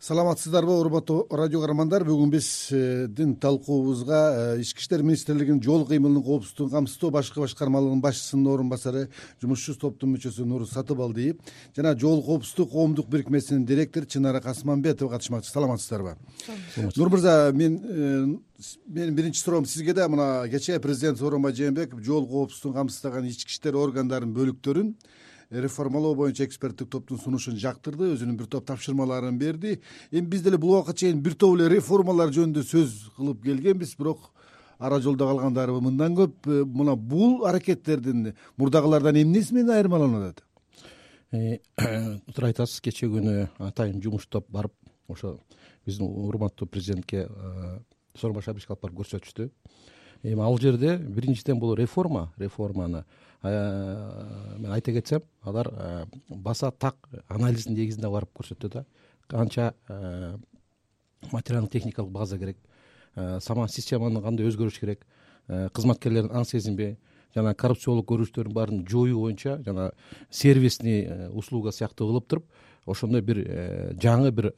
Саламатсыздарбы, урматтуу радио каармандар. Бүгүн биздин талкуубузга Ички иштер министрлигинин жол кыймылынын коопсуздугун камсыздоо башкы башкармалыгынын башчысынын орун басары, жумушчу топтун мүчөсү Нур Сатыбалдиев жана жол коопсуздук коомдук бирикмесинин директору Чынара Касманбетова катышмакчы. Саламатсыздарбы? Нур мырза, менин биринчи суроом сизге да. Мына кечээ президент Сооронбай Жээнбеков жол коопсуздугун камсыздаган ички иштер органдарынын бөлүктөрүн реформалоо боюнча эксперттик топтун сунушун жактырды, өзүнүн бир топ тапшырмаларын берди. Эми биз деле бул убакка чейин бир топ эле реформалар жөнүндө сөз кылып келгенбиз, бирок ара жолдо калгандары мындан көп. Мына бул аракеттердин мурдагылардан эмнеси менен айырмаланат? Туура айтасыз. Кечээ күнү атайын жумуш топ барып ошо биздин урматтуу президентке Сооронбай Шабишевичке алып барып көрсөтүштү. Эми ал жерде биринчиден бул реформаны мен айта кетсем, алар баса так анализдин негизинде барып көрсөттү да. Канча материалдык техникалык база керек, сама системаны кандай өзгөрүш керек, кызматкерлердин аң сезинби жана коррупциялык көрүнүштөрдүн баарын жоюу боюнча жана сервисный услуга сыяктуу кылып туруп, ошондой бир жаңы бир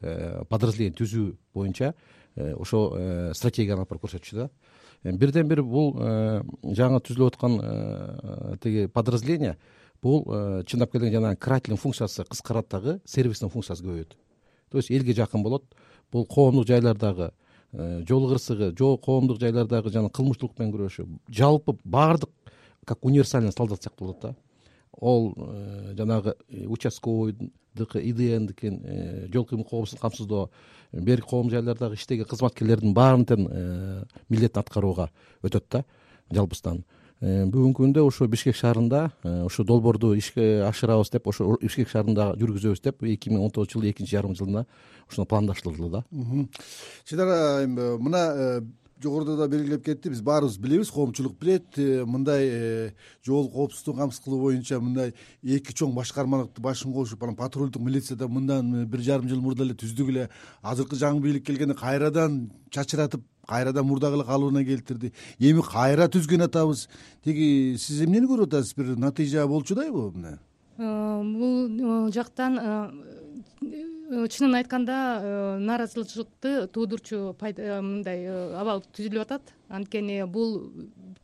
подразделение түзүү боюнча ошо стратегияны алып барып көрсөтчү да. Бирден бир бул жаңы түзүлүп аткан тиги подразделение бул чындап келгенде жанагы карательный функциясы кыскарат дагы, сервистин функциясы көбөйөт. То есть элге жакын болот. Бул коомдук жайлардагы жол кырсыгы, коомдук жайлардагы жана кылмыштуулук менен күрөшүү жалпы баардык как универсальный солдат сыяктуу болот да. Ол жанагы участковойдуку, ИДНдикин, жол кыймыл коопсуздугун камсыздоо, бир коом жайлардагы иштеген кызматкерлердин баарын тең милдетин аткарууга өтөт да жалпыстан. Бүгүнкү күндө ошо Бишкек шаарында ошо долбоорду ишке ашырабыз деп, ошо Бишкек шаарында жүргүзөбүз деп 2019 жылы экинчи жарым жылына ошону пландаштырылды да. Чынара, мына жогоруда да белгилеп кетти, биз баарыбыз билебиз, коомчулук билет, мындай жол коопсуздугун камсыз кылуу боюнча мындай эки чоң башкармалыкты башын кошуп, анан патрулдук милицияда мындан 1,5 жыл мурда эле түздүк эле. Азыркы жаңы бийлик келгенде кайрадан чачыратып, кайрадан мурдагы эле калыбына келтирди. Эми кайра түзгөн атабыз. Тиги сиз эмнени көрүп атасыз? Бир натыйжа болчудайбы мына? Бул жактан чынын айтканда нааразычылыкты туудурчу мындай абал түзүлүп атат. Анткени бул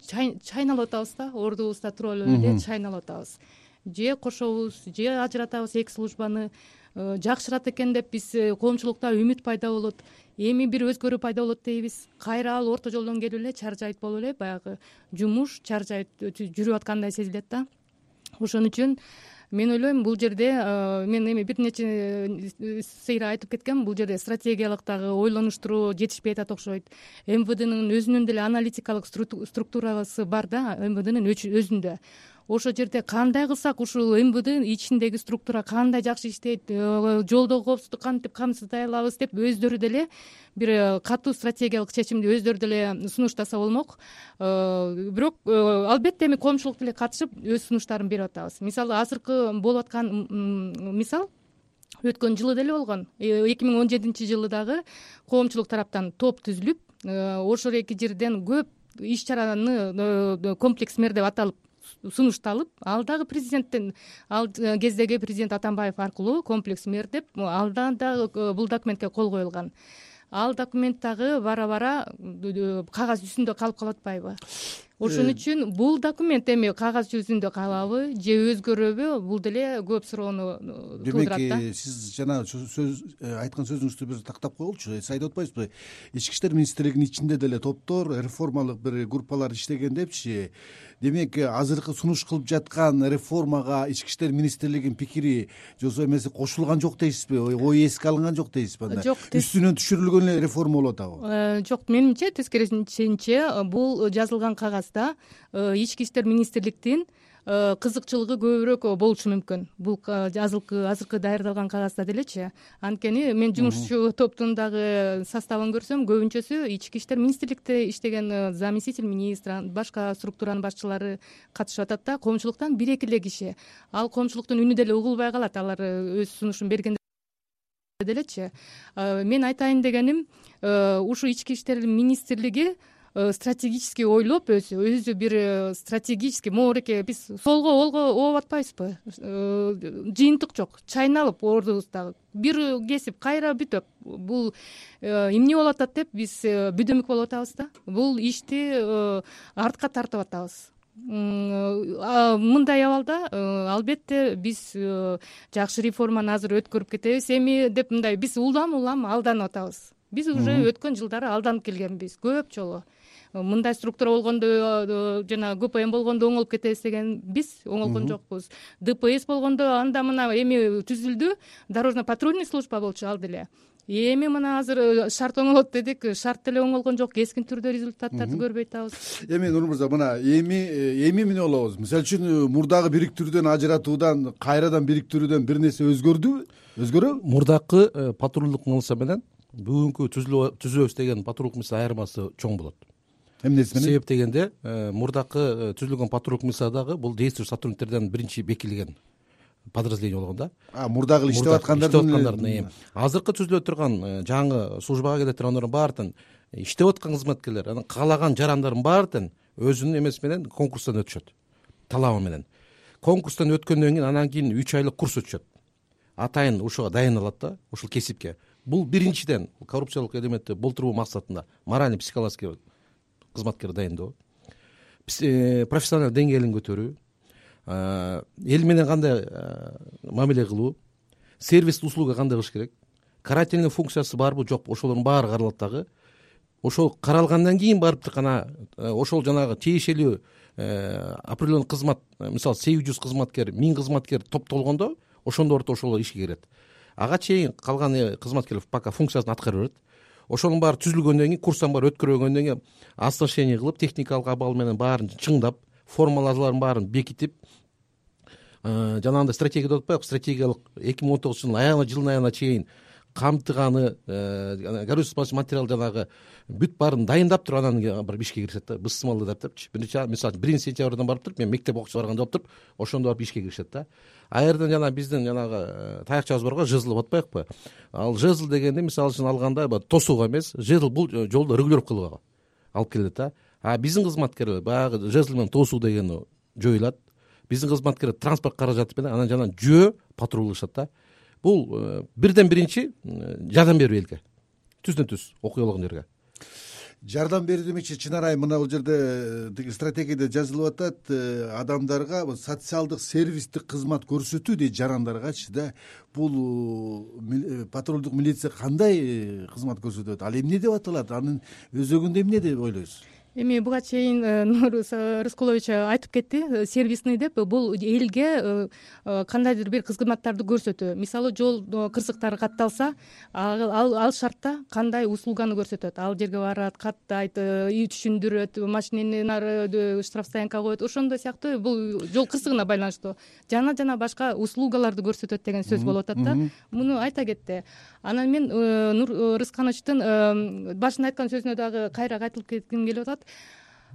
чайналып атабыз да, ордубузда туруп эле чайналып атабыз. Же кошобуз, же ажыратабыз эки службаны. Жакшырат экен деп биз коомчулукта үмүт пайда болот. Эми бир өзгөрүү пайда болот дейбиз. Кайра ал орто жолдон келип эле чаржайт болуп эле баягы жумуш чаржайт жүрүп аткандай сезилет да. Ошон үчүн мен ойлойм, бул жерде мен эми бир нече сейре айтып кеткем, бул жерде стратегиялык дагы ойлонуштуруу жетишпей атат окшойт. МВДнын өзүнүн деле аналитикалык структурасы бар да, МВДнын өзүндө. Ошол жерде кандай кылсак ушул МВД ичиндеги структура кандай жакшы иштейт, жолдогу коопсуздук кантип камсыздай алабыз деп өздөрү деле бир катуу стратегиялык чечимди өздөрү деле сунуштаса болмок. Бирок албетте эми коомчулук деле катышып өз сунуштарын берип атабыз. Мисалы азыркы болуп аткан мисал өткөн жылы деле болгон. 2017 жылы дагы коомчулук тараптан топ түзүлүп, ошол эки жерден көп иш чараны комплекс мер деп аталып сунушталып, ал дагы президенттен, ал кездеги президент Атамбаев аркылуу комплекс мер деп алдан дагы бул документке кол коюлган. Ал документ дагы бара-бара кагаз жүзүндө калып калып атпайбы? Ошон үчүн бул документ эми кагаз жүзүндө калабы же өзгөрөбү? Бул деле көп суроону туудурат да. Демек, сиз жана сөз айткан сөзүңүздү бир тактап коелучу. Сиз айтып атпайсызбы? Ички иштер министрлигинин ичинде деле топтор, реформалык бир группалар иштеген депчи. Демек, азыркы сунуш кылып жаткан реформага ички иштер министрлигинин пикири же эмеси кошулган жок дейсизби? Ой эске алынган жок дейсизби? Жок. Үстүнөн түшүрүлгөн эле реформа болуп атабы? Жок, менимче тескерисинче бул жазылган кагазда ички иштер министрликтин кызыкчылыгы көбүрөөк болушу мүмкүн. Бул азыркы даярдалган кагазда делечи. Анткени мен жумушчу топтун дагы составын көрсөм, көбүнчөсү ички иштер министрликте иштеген заместитель министра, башка структуранын башчылары катышып атат да, коомчулуктан 1-2 эле киши. Ал коомчулуктун үнү деле угулбай калат, алар өз сунушун бергенде делечи. Мен айтайын дегеним, ушу ички иштер министрлиги стратегический ойлоп өзү бир стратегический моореке биз солго олго ооп атпайбызбы, жыйынтык жок, чайналып ордубузда бир кесип кайра бүтөп бул эмне болуп атат деп биз бүдөмүк болуп атабыз да, бул ишти артка тартып атабыз. Мындай абалда албетте биз жакшы реформаны азыр өткөрүп кетебиз эми деп мындай биз улам алданып атабыз. Биз уже өткөн жылдары алданып келгенбиз көп жолу. Мындай структура болгондо жана ГПМ болгондо оңолуп кетебиз деген биз оңолгон жокпуз. ДПС болгондо анда мына эми түзүлдү, дорожно-патрульный служба болчу ал деле. Эми мына азыр шарт оңолот дедик, шарт деле оңолгон жок, кескин түрдө результаттарды көрбөй атабыз. Эми Нур мырза, мына эми эмне болобуз? Мисалы үчүн мурдагы бириктирүүдөн ажыратуудан, кайрадан бириктирүүдөн бир нерсе өзгөрөбү? Мурдакы патрулдук милиция менен бүгүнкү түзөбүз деген патрулдук милиция айырмасы чоң болот. Эмнеси менен? Себеп дегенде мурдакы түзүлгөн патрулдук милициядагы бул действующий сотрудниктерден биринчи бекилген подразделение болгон да. Мурдагы иштеп аткандардын азыркы түзүлүп турган жаңы службага келе тургандардын баардын иштеп аткан кызматкерлер, анан каалаган жарандардын баардын өзүнүн эмеси менен конкурстан өтүшөт, талабы менен. Конкурстан өткөндөн кийин анан кийин 3 айлык курс өтүшөт. Атайын ушуга дайыналат да, ушул кесипке. Бул биринчиден коррупциялык элементти болтуруу максатында моральный психологический кызматкер дайындоо, профессионалдык деңгээлин көтөрүү, эл менен кандай мамиле кылуу, сервис услуга кандай кылыш керек, карательный функциясы барбы жокпу, ошолордун баары каралат дагы. Ошол каралгандан кийин барып гана ошол жанагы тиешелүү определенный кызмат, мисалы 800 кызматкер, 1000 кызматкер топтолгондо ошондо орто ошол ишке кирет. Ага чейин калган кызматкерлер пока функциясын аткара берет. Ошонун баары түзүлгөндөн кийин, курстан баары өткөргөндөн кийин оснащение кылып, техникалык абал менен баарын чыңдап, формулаларын баарын бекитип, жанагындай стратегия деп атпайбы, стратегиялык 2019 жылдын аягына чейин камтыганы горючий материал жанагы бүт баарын дайындап туруп анан бир ишке киришет да, бысымалды дептчи. Мисалы 1-сентябрдан барып туруп, мен мектеп окуучу барганда болуп туруп, ошондо барып ишке киришет да. А жерден жана биздин жанагы таякчабыз барго жезл деп атпайбыкпы? Ал жезл дегенде мисалы үчүн алганда тосууга эмес, жезл бул жолдо регулировкалууга алып келет да. А биздин кызматкерлер баягы жезл менен тосуу дегени жоюлат. Биздин кызматкерлер транспорт каражаты менен анан жана жөө патрулдашат да. Бул бирден биринчи жардам берүү элге. Түздөн түз окуя болгон жерге. Жардам берүү демекчи, чын арай мына бул жерде стратегияда жазылып атат, адамдарга социалдык сервистик кызмат көрсөтүү дейт жарандаргачы да. Бул патрулдук милиция кандай кызмат көрсөтөт? Ал эмне деп аталат? Анын өзөгүндө эмне деп ойлойсуз? Эми буга чейин Нур Рыскулович айтып кетти, сервисный деп бул элге кандайдыр бир кызматтарды көрсөтүү. Мисалы жол кырсыктары катталса, ал шартта кандай услуганы көрсөтөт. Ал жерге барат, каттайт, түшүндүрөт, машинени нары штрафстоянкага коет. Ошондой сыяктуу бул жол кырсыгына байланыштуу жана башка услугаларды көрсөтөт деген сөз болуп атат да. Муну айта кетти. Анан мен Нур Рыскановичтин башында айткан сөзүнө дагы кайра кайтылып кетким келип атат.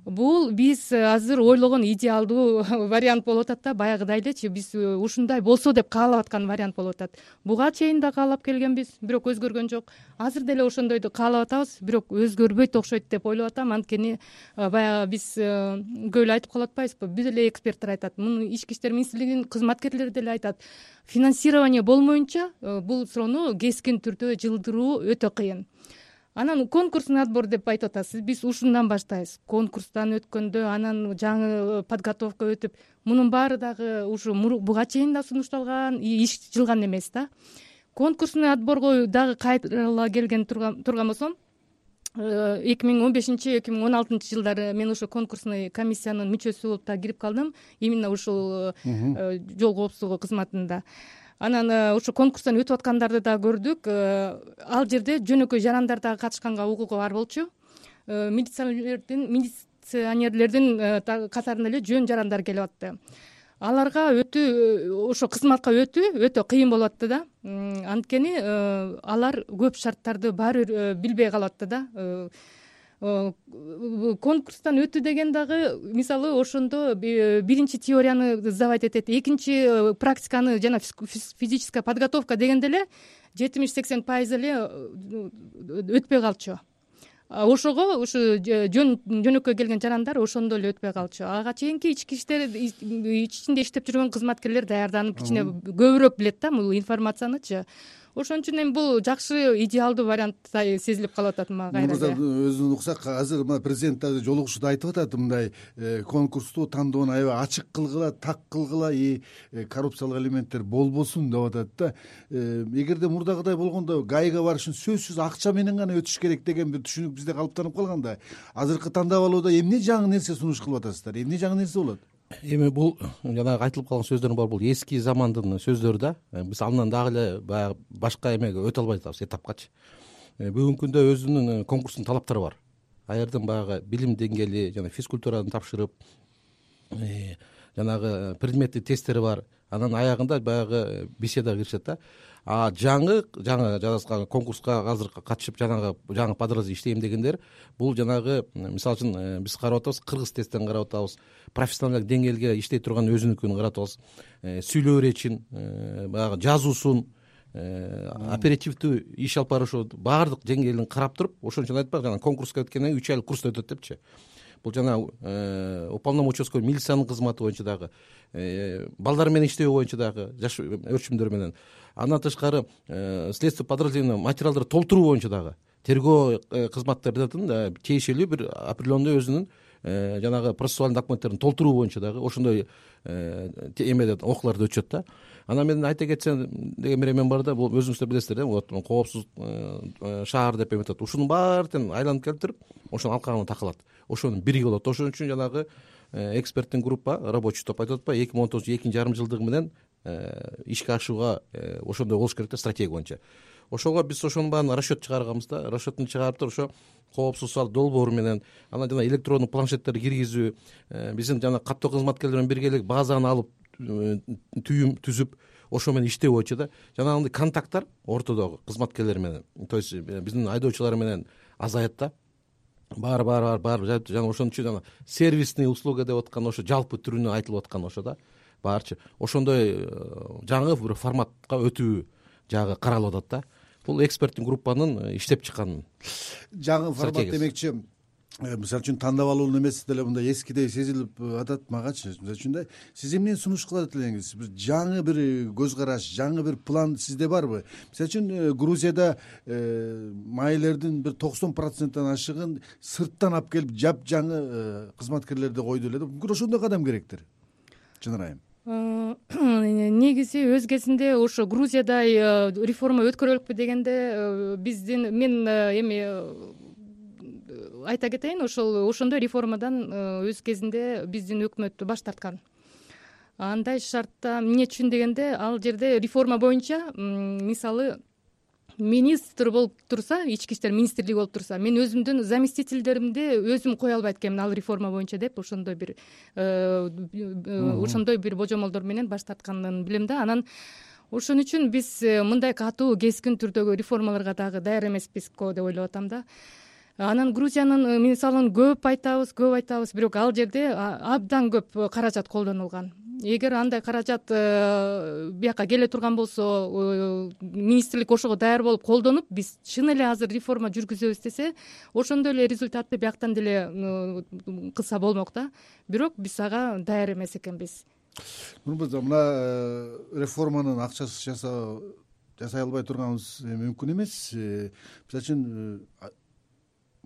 Бул биз азыр ойлогон идеалдуу вариант болуп атат да, баягыдай элечи биз ушундай болсо деп каалап аткан вариант болуп атат. Буга чейин да каалап келгенбиз, бирок өзгөргөн жок. Азыр деле ошондойду каалап атабыз, бирок өзгөрбөйт окшойт деп ойлоп атам. Анткени баягы биз көп эле айтып калып атпайбызбы? Бүт эле эксперттер айтат, муну ички иштер министрлигинин кызматкерлери деле айтат. Финансирование болмоюнча бул суроону кескин түрдө жылдыруу өтө кыйын. Анан конкурсный отбор деп айтып атасыз. Биз ушундан баштайбыз. Конкурстан өткөндө анан жаңы подготовка өтүп, мунун баары дагы ушу буга чейин да сунушталган, иш жылган эмес да. Конкурсный отборго дагы кайрыла келген турган болсом, 2015-2016 жылдары мен ошо конкурсный комиссиянын мүчөсү болуп да кирип калдым, именно ушул жол коопсуздугу кызматында. Анан ошо конкурстан өтүп аткандарды да көрдүк. Ал жерде жөнөкөй жарандар дагы катышканга укугу бар болчу. Милиционерлердин катарында эле жөн жарандар келип атты. Аларга ошо кызматка өтө кыйын болуп атты да. Анткени алар көп шарттарды баары бир билбей калып атты да. Конкурстан өтүү деген дагы мисалы ошондо биринчи теорияны сдавать этет, экинчи практиканы жана физическая подготовка дегенде эле 70-80% эле өтпөй калчу. ошого ушу жөнөкөй келген жарандар ошондо эле өтпөй калчу. Ага чейинки ички иштер ичинде иштеп жүргөн кызматкерлер даярданып кичине көбүрөөк билет да бул информациянычы. Ошон үчүн эми бул жакшы идеалдуу вариант сезилип калып атат мага кайра. Өзүн уксак азыр мына президент дагы жолугушууда айтып атат, мындай конкурсту тандоону аябай ачык кылгыла, так кылгыла, коррупциялык элементтер болбосун деп атат да. Эгерде мурдагыдай болгондо ГАИга барыш үчүн сөзсүз акча менен гана өтүш керек деген бир түшүнүк бизде калыптанып калганда, азыркы тандап алууда эмне жаңы нерсе сунуш кылып атасыздар, эмне жаңы нерсе болот? Эми бул жанагы айтылып калган сөздөр бар, бул эски замандын сөздөрү да. Биз андан дагы эле баягы башка эмеге өтө албай атабыз, этапкачы. Бүгүнкү күндө өзүнүн конкурстун талаптары бар. Ал жерден баягы билим деңгээли жана физкультураны тапшырып, жанагы предметтик тесттери бар. Анан аягында баягы беседага киришет да. Жаңы жазган конкурска азыр катышып жаңы подразделение иштейм дегендер, бул жанагы мисалы үчүн биз карап атабыз, кыргыз тесттен карап атабыз, профессионалдык деңгээлге иштей турган өзүнүкүн карап атабыз, сүйлөө иречин, баягы жазуусун, оперативдүү иш алып барышы, баардык деңгээлин карап туруп, ошон үчүн айтпак, жана конкурска өткөндөн кийин 3 айлык курс өтөт депчи. Бул жана уполномоченный милициянын кызматы боюнча дагы, балдар менен иштөө боюнча дагы, жаш өрчүмдөр менен. Андан тышкары следствие подразделение материалдарды толтуруу боюнча дагы тергөө кызматтарынын тиешелүү бир определенный өзүнүн жанагы процессуальный документтерин толтуруу боюнча дагы ошондой эмеде окууларды өтүшөт да. Анан мен айта кетсем деген бир эмем бар да, бул өзүңүздөр билесиздер да, вот коопсуз шаар деп эметет. Ушунун баарын айланып келтирип, ошонун алкагына такалат. Ошонун бириги болот. Ошон үчүн жанагы эксперттин группа, рабочий топ айтып атпайбы, 2019 2,5 жылдыгы менен ишке ашууга ошондой болуш керек да, стратегия боюнча. Ошого биз ошонун баарын расчет чыгарганбыз да. Расчетун чыгарып туруп, ошо коопсуз сал долбоору менен, анан жана электрондук планшеттерди киргизүү, биздин жана каттоо кызматкерлер менен биргелик базаны алып түйүм түзүп, ошо менен иштөө боюнча да. Жанагындай контакттар ортодогу кызматкерлер менен, то есть биздин айдоочулар менен азаят да. Бар жана ошон үчүн жана сервисный услуга деп аткан ошо жалпы түрүнө айтылып аткан ошо да. Баарчы ошондой жаңы бир форматка өтүү жагы каралып атат да. Бул эксперттин группанын иштеп чыккан жаңы формат демекчи. Мисалы үчүн тандап алуунун эмеси деле мындай эскидей сезилип атат магачы. Мисалы үчүн да сиз эмнени сунуш кылат элеңиз? Бир жаңы бир көз караш, жаңы бир план сизде барбы? Мисалы үчүн Грузияда майылердин бир 90%-тан ашыгын сырттан алып келип жапжаңы кызматкерлерди койду эле да. Мүмкүн ошондой кадам керектир. Чынар айым. Негизи өз кезинде ошо Грузиядай реформа өткөрөлүкпү дегенде мен эми айта кетейин, ошондой реформадан өз кезинде биздин өкмөт баш тарткан. Андай шартта эмне үчүн дегенде, ал жерде реформа боюнча мисалы министр болуп турса, ички иштер министрлиги болуп турса, мен өзүмдүн заместительдеримди өзүм кое албайт экенмин ал реформа боюнча деп ошондой бир божомолдор менен баш тартканын билем да. Анан ошон үчүн биз мындай катуу кескин түрдөгү реформаларга дагы даяр эмеспиз деп ойлоп атам да. Анан Грузиянын мисалын көп айтабыз, бирок ал жерде абдан көп каражат колдонулган. Эгер андай каражат бияка келе турган болсо, министрлик ошого даяр болуп колдонуп, биз чын эле азыр реформа жүргүзөбүз десе, ошондой эле результатты бияктан деле кылса болмок да. Бирок биз ага даяр эмес экенбиз. Мына реформанын акчасыз жасай албай турганыбыз мүмкүн эмес. Мисалы үчүн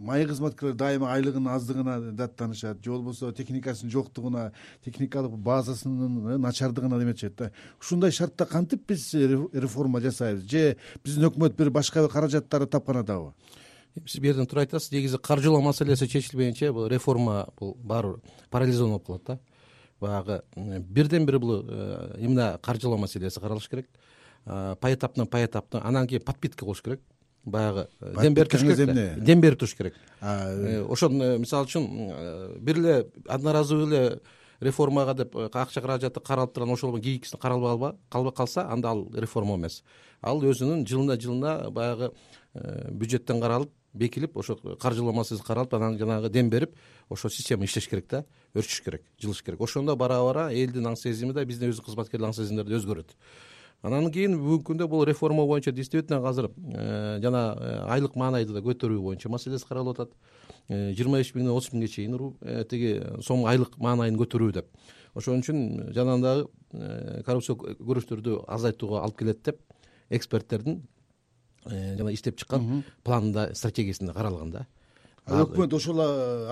майы кызматкерлер дайыма айлыгынын аздыгына даттанышат, же болбосо техникасынын жоктугуна, техникалык базасынын начардыгына эметишет да. Ушундай шартта кантип биз реформа жасайбыз? Же биздин өкмөт бир башка каражаттарды тапкан атабы? Сиз бул жерден туура айтасыз. Негизи каржылоо маселеси чечилбейинче бул реформа бул баары парализован болуп калат да. Баягы бирден бир бул именно каржылоо маселеси каралыш керек. Поэтапно, анан кийин подпитка болуш керек. Баягы дем берип туруш керек. Ошон мисалы үчүн бир эле одноразовый эле реформага деп акча каражаты каралып турган ошол кийинкисин каралбай калса, анда ал реформа эмес. Ал өзүнүн жылына баягы бюджеттен каралып, бекилип, ошо каржылоо маселеси каралып, анан жанагы дем берип, ошо система иштеш керек да, өрчүш керек, жылыш керек. Ошондо бара элдин аң сезими да, биздин өз кызматкерлер аң сезимдери да өзгөрөт. Анан кийин бүгүнкү күндө бул реформа боюнча действительно азыр жана айлык маанайды да көтөрүү боюнча маселеси каралып атат. 25 миңден 30 миңге чейин тиги сом айлык маанайын көтөрүү деп. Ошон үчүн жанагы коррупция көрүнүштөрдү азайтууга алып келет деп эксперттердин жана иштеп чыккан планында, стратегиясында каралган да. Өкмөт ошол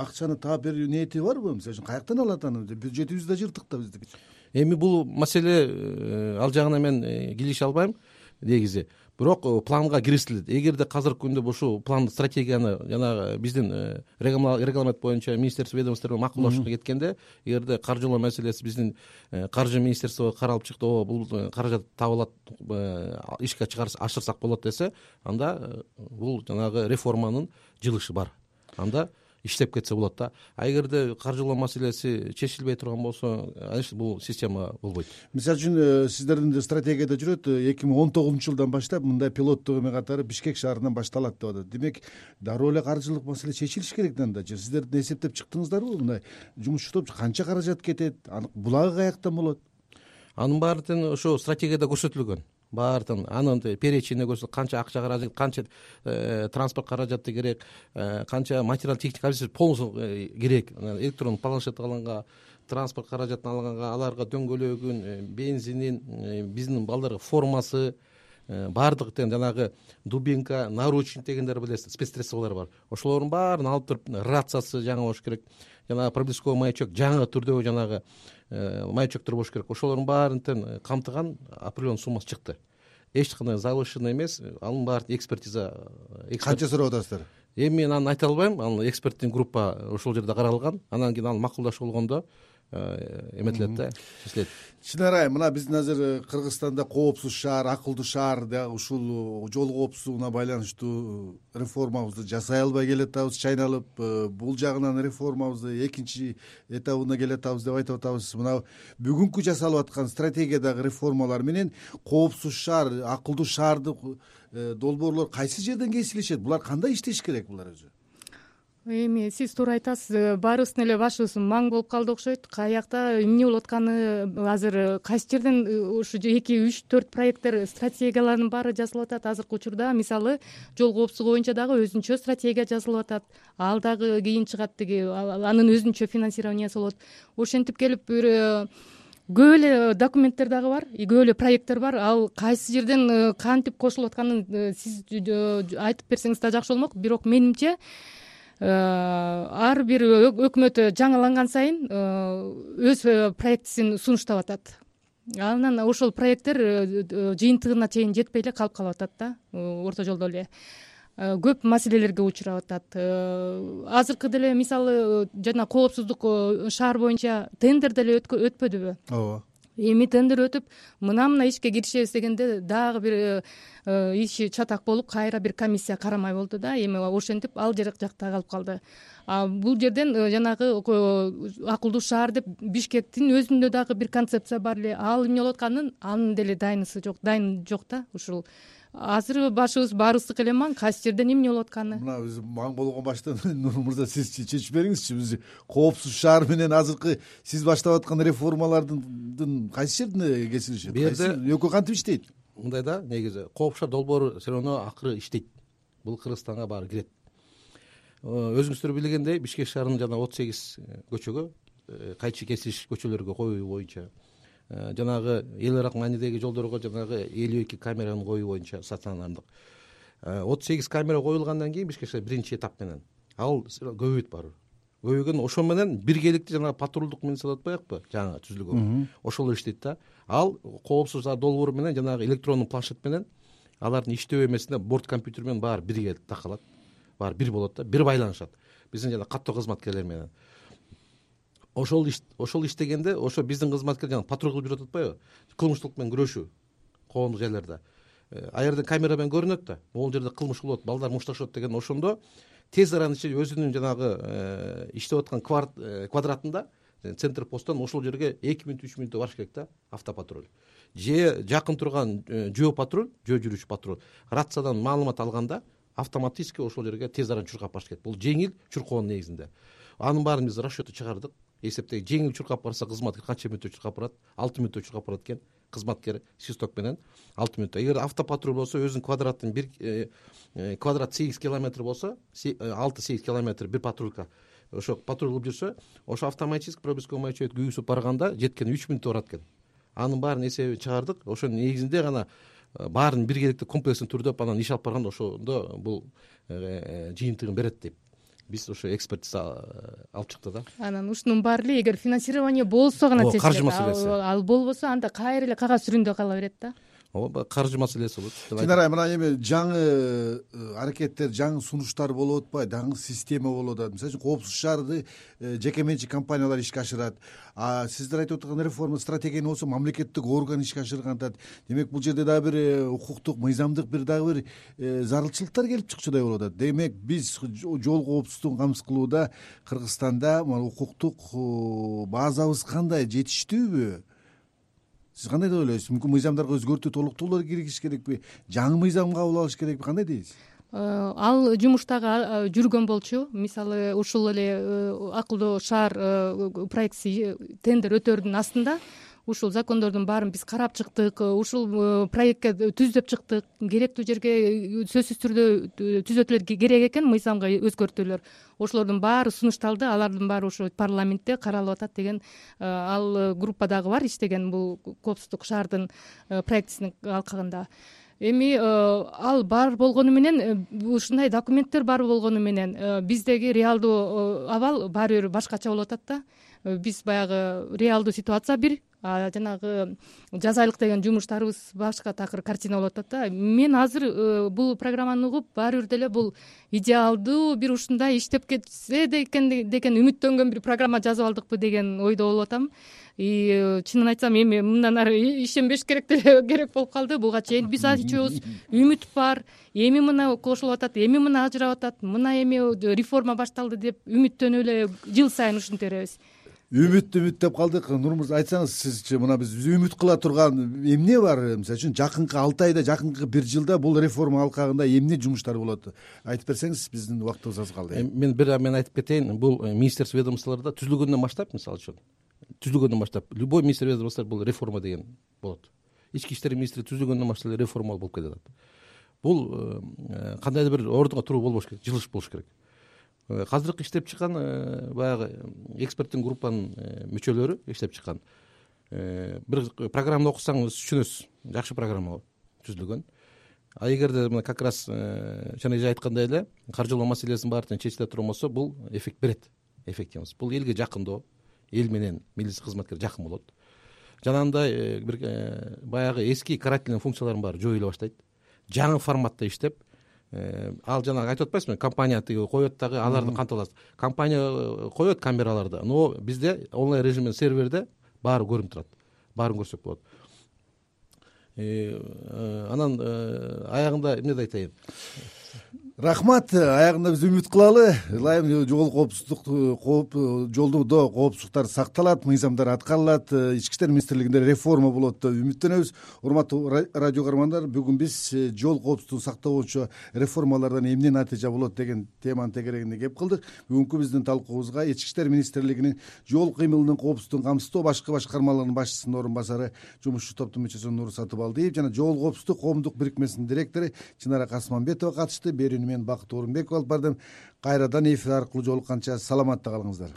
акчаны таап берүү ниети барбы? Мисалы үчүн каяктан алат аны? Бюджетибиз да жыртык да биздики. Эми бул маселе ал жагына мен кирише албайм негизи. Бирок планга киргизилет. Эгерде казыркы күндө ушул план, стратегияны жанагы биздин регламент боюнча министерство ведомство менен макулдашууга кеткенде, эгерде каржылоо маселеси биздин каржы министерствого каралып чыкты, бул каражат табылат, ишке ашырсак болот десе, анда бул жанагы реформанын жылышы бар. Анда иштеп кетсе болот да. А эгерде каржылоо маселеси чечилбей турган болсо, бул система болбойт. Мисалы үчүн сиздердин стратегияда жүрөт 2019-жылдан баштап мындай пилоттук эме катары Бишкек шаарынан башталат деп атат. Демек, дароо эле каржылык маселе чечилиш керек да анда. Сиздердин эсептеп чыктыңыздарбы? Мындай жумушчу топ канча каражат кетет, булагы каяктан болот? Анын баарын ошо стратегияда көрсөтүлгөн. Баардын анын перечине көрсөтүп, канча акча каражат, канча транспорт каражаты керек, канча материал техника полностью керек. Электрондук планшет алганга, транспорт каражатын алганга, аларга дөңгөлөгүн, бензинин, биздин балдарга формасы, баардык жанагы дубинка, наручник дегендер билесиз, спецсредстволор бар. Ошолордун баарын алып туруп, рациясы жаңы болуш керек. Жанагы проблесковый маячок жаңы түрдөгү жанагы маячоктор болуш керек. Ошолордун баарын камтыган определенный суммасы чыкты. Эч кандай завышенный эмес, анын баары экспертиза. Канча сурап атасыздар? Эми мен аны айта албайм. Анын эксперттин группа ошол жерде каралган. Анан кийин аны макулдашуу болгондо эметилет да, чечилет. Чынарай, мына биздин азыр Кыргызстанда коопсуз шаар, акылдуу шаар да ушул жол коопсуздугуна байланыштуу реформабызды жасай албай келатабыз, чайналып, бул жагынан реформабызды экинчи этабына келатабыз деп айтып атабыз. Мына бүгүнкү жасалып аткан стратегиядагы реформалар менен коопсуз шаар, акылдуу шаарды долбоорлор кайсы жерден кесилишет? Булар кандай иштеш керек булар өзү? Эми сиз туура айтасыз, баарыбыздын эле башыбыз маң болуп калды окшойт. Каякта эмне болуп атканы азыр кайсы жерден ушу 2, 3, 4 проекттер, стратегиялардын баары жазылып атат азыркы учурда. Мисалы, жол коопсуздугу боюнча дагы өзүнчө стратегия жазылып атат. Ал дагы кийин чыгат, анын өзүнчө финансированиясы болот. Ошентип келип бир көп эле документтер дагы бар, көп эле проекттер бар. Ал кайсы жерден кантип кошулуп атканын сиз айтып берсеңиз да жакшы болмок. Бирок менимче ар бир өкмөт жаңыланган сайын өз проектисин сунуштап атат. Анан ошол проекттер жыйынтыгына чейин жетпей эле калып атат да, орто жолдо эле көп маселелерге учурап атат. Азыркы деле мисалы жана коопсуздук шаар боюнча тендер деле өтпөдүбү? Ооба. Эми тендер өтүп, мына ишке киришебиз дегенде дагы бир иши чатак болуп, кайра бир комиссия карамай болду да. Эми ошентип ал жакта калып калды. Бул жерден жанагы акылдуу шаар деп Бишкектин өзүндө дагы бир концепция бар эле. Ал эмне болуп атканын анын деле дайын жок да. Ушул азыр башыбыз баарыбыздыкы эле маң, кайсы жерден эмне болуп атканы. Мына биз маң болгон баштан Нур мырза сиз чечип бериңизчи. Биз коопсуз шаар менен азыркы сиз баштап аткан реформалардын кайсы жерине кесилишет? Кайсы экөө кантип иштейт? Мындай да, негизи коопсуз шаар долбоору все равно акыры иштейт. Бул Кыргызстанга баары кирет. Өзүңүздөр билгендей, Бишкек шаарынын жана 38 көчөгө кайчы кесилиш көчөлөргө коюу боюнча, жанагы эл аралык маанидеги жолдорго жанагы 52 камераны коюу боюнча стационардык 38 камера коюлгандан кийин Бишкек шаар биринчи этап менен ал көбөйт барып. Көбөйгөн ошо менен биргеликти жанагы патрулдук милиция деп коекпу, жаңы түзүлгөн. Ошол иштейт да. Ал коопсуз долбоору менен жанагы электрондук планшет менен алардын иштөө эмесинде борт компьютер менен баары бирге такалат. Баары бир болот да, бир байланышат. Биздин жана каттоо кызматкерлер менен. Ошол иштегенде, ошо биздин кызматкер жана патруль кылып жүрүп атпайбы? Кылмыштуулук менен күрөшүү коомдук жерлерде. Аерден камера менен көрүнөт да, могул жерде кылмыш болот, балдар мушташат деген ошондо тез арада өзүнүн жанагы иштеп аткан квадратында центр посттон ошол жерге 2 мүнөт 3 мүнөттө барыш керек да, автопатруль. Же жакын турган жөө патруль, жөө жүрүүчү патруль рациядан маалымат алганда автоматически ошол жерге тез арада чуркап барыш керек. Бул жеңил чуркоонун негизинде. Анын баарын биз расчёту чыгардык. Эсептеги жеңил чуркап барса кызматкер канча мүнөттө чуркап барат? 6 мүнөттө чуркап барат экен. кызматкер свисток менен 6 мүнөттө. Эгер автопатруль болсо өзүнүн квадратын квадрат 8 километр болсо 6-8 километр бир патрулька ошо патруль кылып жүрсө, ошо автоматический пропусковый маячок күйгүзүп барганда жеткени 3 мүнөттө барат экен. Анын баарын эсебин чыгардык. Ошонун негизинде гана баарын биргеликтүү комплекстин түрдөп анан иш алып барганда ошондо бул жыйынтыгын берет деп биз ошо экспертиза алып чыкты да. Анан ушунун баары эле эгер финансирование болсо гана чечилет. Каржы маселеси. Ал болбосо анда кайра эле кагаз түрүндө кала берет да. Ооба, каржы маселеси болот. Чынара мына эми жаңы аракеттер, жаңы сунуштар болуп атпайбы, жаңы система болуп атат. Мисалы үчүн коопсуз шаарды жеке менчик компаниялар ишке ашырат. Сиздер айтып аткан реформа стратегияны болсо мамлекеттик орган ишке ашырган атат. Демек бул жерде дагы бир укуктук, мыйзамдык бир дагы бир зарылчылыктар келип чыкчудай болуп атат. Демек биз жол коопсуздугун камсыз кылууда Кыргызстанда укуктук базабыз кандай, жетиштүүбү? Сиз кандай деп ойлойсуз? Мүмкүн мыйзамдарга өзгөртүү, толуктоолор киргизиш керекпи? Жаңы мыйзам кабыл алыш керекпи? Кандай дейсиз? Ал жумуштагы жүргөн болчу. Мисалы ушул эле акылдуу шаар проектиси тендер өтөрдүн астында ушул закондордун баарын биз карап чыктык. Ушул проектке түздөп чыктык. Керектүү жерге сөзсүз түрдө түзөтүүлөр керек экен, мыйзамга өзгөртүүлөр. Ошолордун баары сунушталды, алардын баары ошо парламентте каралып атат деген ал группадагы бар иштеген бул коопсуздук шаардын проектисинин алкагында. Эми ал бар болгону менен, ушундай документтер бар болгону менен биздеги реалдуу абал баары бир башкача болуп атат да. Биз баягы реалдуу ситуация бир, жанагы жаз айлык деген жумуштарыбыз башка такыр картина болуп атат да. Мен азыр бул программаны угуп баары бир деле бул идеалдуу бир ушундай иштеп кетсе деген үмүттөнгөн бир программа жазып алдыкпы деген ойдо болуп атам. Чынын айтсам эми мындан ары ишенбеш керек болуп калды. Буга чейин биз айтчубуз үмүт бар, эми мына кошулуп атат, эми мына ажырап атат, мына эми реформа башталды деп үмүттөнүп эле жыл сайын ушинте беребиз. Үмүт деп калдык. Нурмурза, айтсаңыз сизчи, мына биз үмүт кыла турган эмне бар? Мисалы үчүн жакынкы 6 айда, жакынкы 1 жылда бул реформа алкагында эмне жумуштар болот? Айтып берсеңиз, биздин убактыбыз аз калды. Мен айтып кетейин, бул министерство ведомстволордо түзүлгөндөн баштап, мисалы үчүн любой министр ведомство бул реформа деген болот. Ички иштер министри түзүлгөндөн баштап реформа болуп кетет. Бул кандайдыр бир ордунга туруу болбош керек, жылыш болуш керек. Казыркы иштеп чыккан баягы эксперттин группанын мүчөлөрү иштеп чыккан бир программаны окусаңыз түшүнөсүз. Жакшы программа түзүлгөн. Эгерде мына как раз жана айткандай эле каржылоо маселесин баарын чечиле турган болсо, бул эффект берет. Эффективность. Бул элге жакындоо, эл менен милиция кызматкер жакын болот. Жанагындай бир баягы эски карательный функциялардын баары жоюла баштайт. Жаңы форматта иштеп, ал жанагы айтып атпайсызбы, компания коет дагы, аларды кантип аласыз. Компания коет камераларды, но бизде онлайн режимде серверде баары көрүнүп турат. Баарын көрсөк болот. Анан аягында эмне айтайын? Рахмат. Аягында биз үмүт кылалы. Ылайым жол коопсуздук, жолдо коопсуздуктар сакталат, мыйзамдар аткарылат, ички иштер министрлигинде реформа болот деп үмүттөнөбүз. Урматтуу радио көрөрмандар, бүгүн биз жол коопсуздугун сактоо боюнча реформалардан эмне натыйжа болот деген теманын тегерегинде кеп кылдык. Бүгүнкү биздин талкуубузга ички иштер министрлигинин жол кыймылынын коопсуздугун камсыздоо башкы башкармалыгынын башчысынын орун басары, жумушчу топтун мүчөсү Нур Сатыбалдиев жана жол коопсуздук коомдук бирикмесинин директору Чынара Касманбетова катышты. Мен Бакыт Орунбеков алып бардым. Кайрадан эфир аркылуу жолукканча саламатта калыңыздар.